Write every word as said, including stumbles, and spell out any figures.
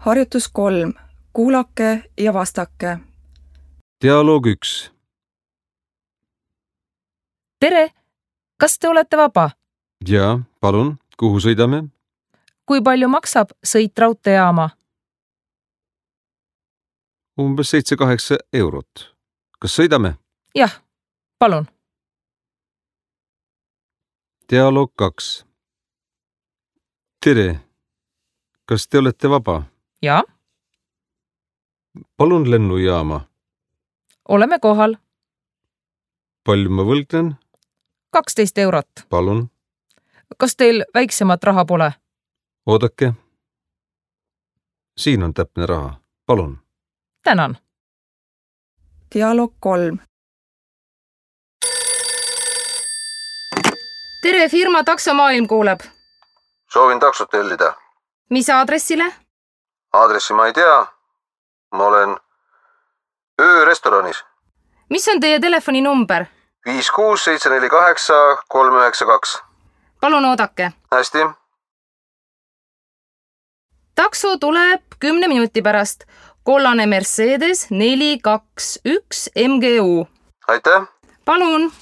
Harjutus kolm. Kuulake ja vastake. Dialoog üks. Tere, kas te olete vaba? Jaa, palun, kuhu sõidame? Kui palju maksab sõit raudteejaama? Umbes seitse kaheksa eurot. Kas sõidame? Jah, palun. Dialoog kaks. Tere, kas te olete vaba? Jaa, Palun lennujaama. oleme kohal. Palju ma võlgnen? kaksteist eurot. Palun. Kas teil väiksemat raha pole? Oodake. Siin on täpne raha. Palun. Tänan. Dialoog kolm. Tere, firma Taksomaailm kuuleb. Soovin taksot tellida. Mis aadressile? Aadressi ma ei tea. Ma olen öörestoranis. Mis on teie telefoninumber? viis kuus seitse neli kaheksa kolm üheksa kaks. Palun oodake. Hästi. Takso tuleb kümne minuti pärast. Kollane Mercedes neli kaks üks M G U. Aitäh. Palun.